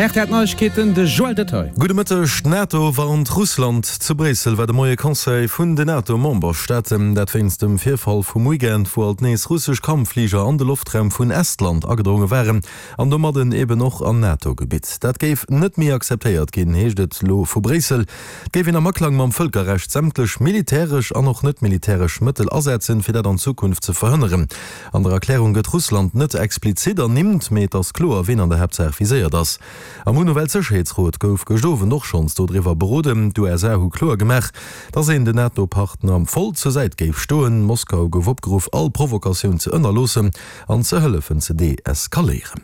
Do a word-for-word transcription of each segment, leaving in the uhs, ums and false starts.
Rtl Neiegkeeten, de Joël Detaille. Gudde Mëtteg, D'NATO warnt Russland. Zu Bréissel war de Moie Conseil vun den NATO-Memberstaaten. Dat wéinst dem Virfall vum Weekend, wou alt nees russesch Kampffliger an de Loftraum vun Estland agedronge waren an domadden eben och an NATO-Gebitt. Dat géif net méi akzeptéiert ginn, heescht et lo vu Bréissel. Et géif een am Aklang mam Vëlkerrecht sämtlech militäresch an och net militäresch Mëttel asetzen, fir dat an Zukunft ze verhënneren. An der Erklärung gëtt Russland net explizit ernimmt, mee et ass kloer, ween an der Haaptsaach viséiert ass. Am UNO-Weltsécherheetsrot gouf gëscht Owend och schonns dodriwwer beroden. D'USA hu kloer gemaach, datt een den NATO-Partner voll zur Säit géif stoen. Moskau gouf opgeruff, all Provokatioun ze ënnerloossen an ze hëllefen ze deeskaléieren.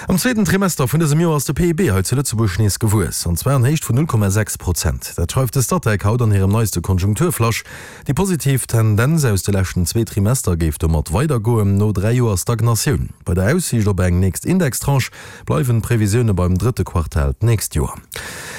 Am zweeten Trimester vun dësem Joer ass de PIB hei zu Lëtzebuerg nees gewuess, an zwar an Héicht vun null Komma sechs Prozent. Dat schreift de Statec haut an hirem neiste Konjunkturflash. Déi positiv Tendenz aus de leschten zwee Trimester géif domat weidergoen, no dräi Joer Stagnatioun. Bei der Aussiicht op eng nächst Indextranche bleiwen d'Previsioune beim drëtte Quartal d'nächst Joer.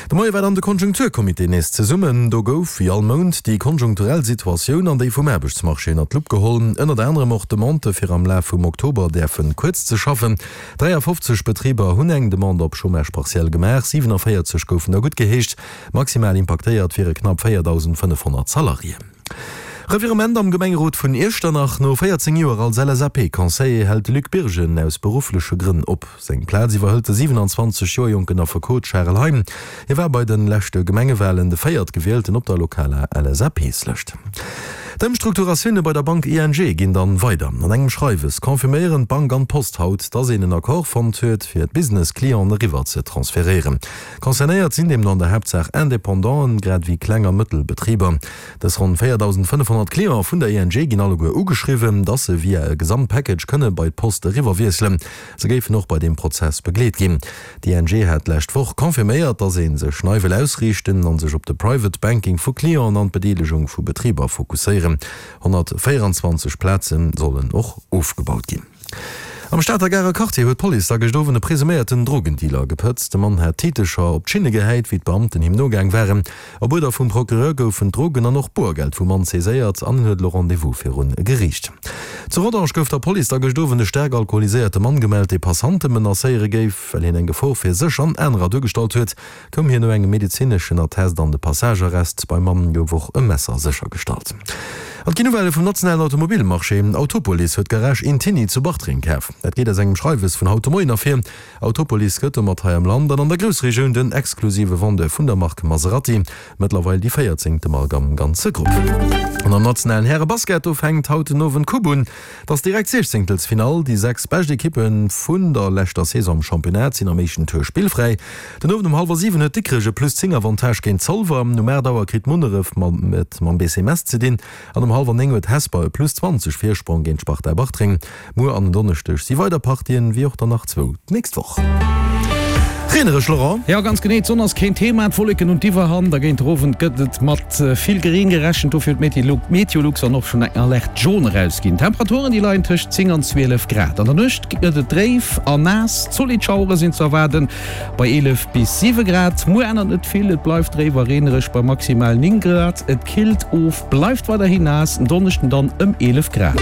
De Moie war dann de Konjunkturcomité nees zesummen. Do gouf, wéi all Mount, déi konjunkturell Situatioun an déi vum Aarbechtsmarché ënnert d'Lupp geholl. Ënnert anerem och d'Demande, fir am Laf vum Oktober däerfe kuerz ze schaffen. dräiafofzeg Betriber hunn eng Demande op Chômage partiel gemaach, siwenavéierzeg goufen der guttgeheescht. Maximal impaktéiert wiere knapp véierdausendfënnefhonnert Salariéen. Revirement am Gemengerot vun Iechternach, No véierzéng Joer als L S A P-Conseiller hält de Luc Birgen aus beruffleche Grënn op. Seng Plaz iwwerhëlt de siwenanzwanzeg Joer jonken Affekot Charel Heim. Hie war bei de leschte Gemengewalen de Véiertgewielten op der lokaler L S A P-Lëscht. D'Ëmstrukturatioune bei der Bank I N G ginn dann weider. An engem Schreiwes confirméieren d'Bank an d'Post haut, dass een en Accord fonnt huet, fir d'Business-Clienten eriwwer ze transferéieren. Concernéiert sinn deemno an der Haaptsaach Independanten, grad ewéi Kleng a Mëttelbetriber. Dës ronn véierdausendfënnefhonnert Cliente vun der I N G ginn alleguer ugeschriwwen, dass se via e Gesamtpackage kënne bei d'Post eriwwerwiesselen. Se géifen och bei deem Prozess begleet ginn. D'I N G hat d'lescht Woch confirméiert, dass ee sech nei wëll ausriichten an sech op de Private Banking vu Clienten an d'Bedeelegung vu Betriber fokusséieren. Honnertvéieranzwanzeg Plaze sollen och ofgebaut ginn. Am Stater Garer Quartier huet d'Police da gëscht Owend e presuméierten Drogendealer gepëtzt. De Mann hat Titecher op d'Schinne gehäit, wéi d'Beamten him nogaang waren. Op Uerder vum Procureur goufen d'Drogen an och Boergeld vum Mann saiséiert an en huet elo Rendez-vous virun Geriicht. Zu Rodange gouf der Police da gëscht Owend e staark alkoholiséierte Mann gemellt, dee Passante menacéiere géif. Well hien eng Gefor fir sech an anerer duergestallt huet, koum hien no engem medezineschen Attest an de Passagearrest. Beim Mann gouf och e Messer séchergestallt. An et ginn Nouvellë vum nationalen Automobilmarché, Autopolis huet d'Garage Intini zu Bartreng kaf. Dat geet aus engem Schreiwes vun haut de Moien ervir. Autopolis gëtt domat hei am Land an an der Groussregioun den exklusive Vendeur vun der Mark Maserati, mëttlerweil déi véierzéngte Mark am ganze Grupp. An am nationalen Häre-Basket, do fänkt haut den Owend d'Coupe un. Et ass direkt Siechzéngtelsfinall. Déi sechs bescht Ekippe vun der leschter Saison am Championnat sinn am éischten Tour spillfräi. Den Owend um hallwer siwen huet Dikrech e plus zéng Avantage géint Zolwer. Um aacht Auer kritt Munneref et mam B C Metz ze dinn an um hallwer néng huet Hesper e plus zwanzeg Virsprong géint d'Sparta Bartreng. Muer an en Donneschdeg si weider Partien, wéi och der nach zwou d'nächst Woch. Reenereg, Laurent. Jo, ganz genee, d'Sonn ass keen Thema, d'Wolleken hunn d'Iwwerhand a géint den Owend gëtt et mat vill Reen gerechent. Dofir huet Meteolux dann och schonn eng Alerte jaune erausginn. D'Temperaturen, déi leien tëscht zéng an zwielef Grad. An der Nuecht gëtt et dréif an naass, zolidd Schauere sinn ze erwaarden bei eelef bis siwe Grad. Muer ännert net vill, et bleift dréif a reenereg bei maximal néng Grad. Et killt of, bleift weiderhin naass, en Donneschden dann ëm eelef Grad.